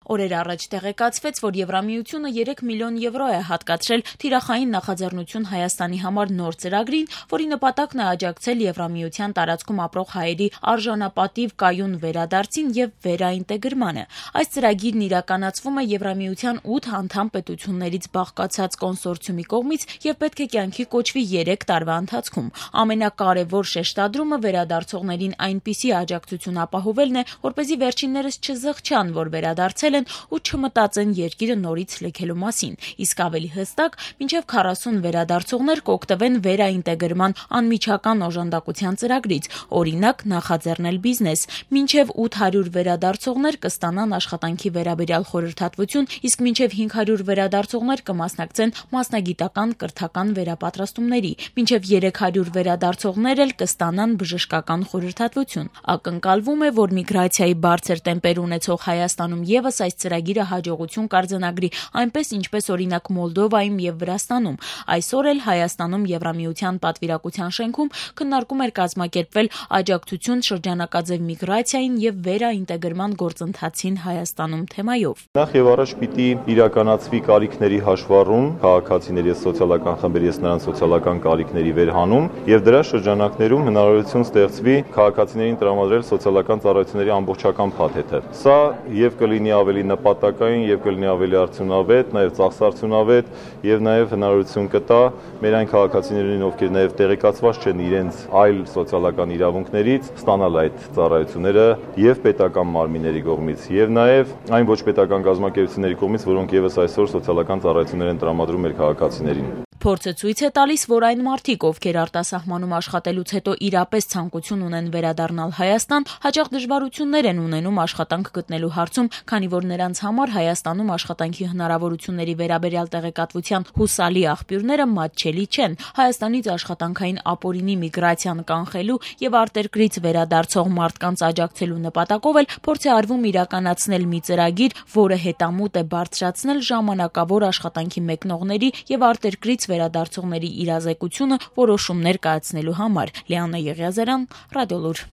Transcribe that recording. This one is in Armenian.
Օրեր առաջ տեղեկացվեց, որ Եվրամիությունը 3 միլիոն եվրո է հատկացրել թիրախային նախաձեռնություն Հայաստանի համար նոր ծրագրին, որի նպատակն է աջակցել Եվրամիության տարածքում ապրող հայերի արժանապատիվ կայուն վերադարձին եւ վերաինտեգրմանը։ Այս ծրագիրն իրականացվում է Եվրամիության 8 անդամ պետություններից բաղկացած կոնսորցիումի կողմից եւ պետք է կյանքի կոչվի 3 տարվա ընթացքում։ Ամենակարևոր շեշտադրումը վերադարձողներին այնպիսի աջակցություն ապահովելն է, որպեսզի վերջիններս չզղջան, որ վերադարձել են ու չմտածեն երկիրը նորից լքելու մասին, իսկ ավելի հստակ, մինչև 40 վերադարձողներ կօգտվեն վերաինտեգրման անմիջական օժանդակության ծրագրից, օրինակ նախաձեռնել բիզնես, մինչև 800 վերադարձողներ կստանան աշխատանքի վերաբերյալ խորհրդատվություն, իսկ մինչև 500 վերադարձողներ կմասնակցեն մասնագիտական կրթական վերապատրաստումների, մինչև 300 վերադարձողներ էլ կստանան բժշկական խորհրդատվություն։ Ակնկալվում է, որ միգրացիայի բարձր տեմպեր ունեցող Հայաստանում ևս այս ծրագիրը հաջողություն կարձանագրի, այնպես ինչպես օրինակ Մոլդովայում եւ Վրաստանում։ Այսօր էլ Հայաստանում Եվրամիության պատվիրակության շենքում քննարկում էր կազմակերպվել աջակցություն շրջանակաձև միգրացիային եւ վերաինտեգրման գործընթացին Հայաստանում թեմայով։ Նախ եւ առաջ պիտի իրականացվի կարիքների հաշվառում, քաղաքացիների սոցիալական խմբերի նրանց սոցիալական կարիքների վերհանում եւ դրա շրջանակներում հնարավորություն ստեղծվի քաղաքացիներին տրամադրել սոցիալական ծառայությունների ամբողջական փաթեթը։ Սա եւ կլինի ավելի նպատակային եւ կլինի ավելի արդյունավետ, նաեւ ծախսարդյունավետ եւ նաեւ հնարավորություն կտա մեր այն քաղաքացիներին, ովքեր նաեւ տեղեկացված չեն իրենց այլ սոցիալական իրավունքներից, ստանալ այդ ծառայությունները եւ պետական մարմինների կողմից եւ նաեւ այն ոչ պետական կազմակերպությունների կողմից, որոնք եւս այսօր սոցիալական ծառայություններ են տրամադրում մեր քաղաքացիներին։ Փորձը ցույց է տալիս, որ այն մարդիկ, ովքեր արտասահմանում աշխատելուց հետո իրապես ցանկություն ունեն վերադառնալ Հայաստան, հաճախ դժվարություններ են ունենում աշխատանք գտնելու հարցում, քանի որ նրանց համար Հայաստանում աշխատանքի հնարավորությունների վերաբերյալ տեղեկատվության հուսալի աղբյուրները մատչելի չեն։ Հայաստանից աշխատանքային ապօրինի միգրացիան կանխելու եւ արտերկրից վերադարձող մարդկանց աջակցելու նպատակով էլ փորձ է արվում իրականացնել մի ծրագիր, որը հետամուտ է բարձրացնել ժամանակավոր աշխատանքի մեկնողների եւ արտերկրից վերադարձողների իրազեկությունը որոշումներ կայացնելու համար։ Լիաննա Եղիազարյան, Ռադիոլուր։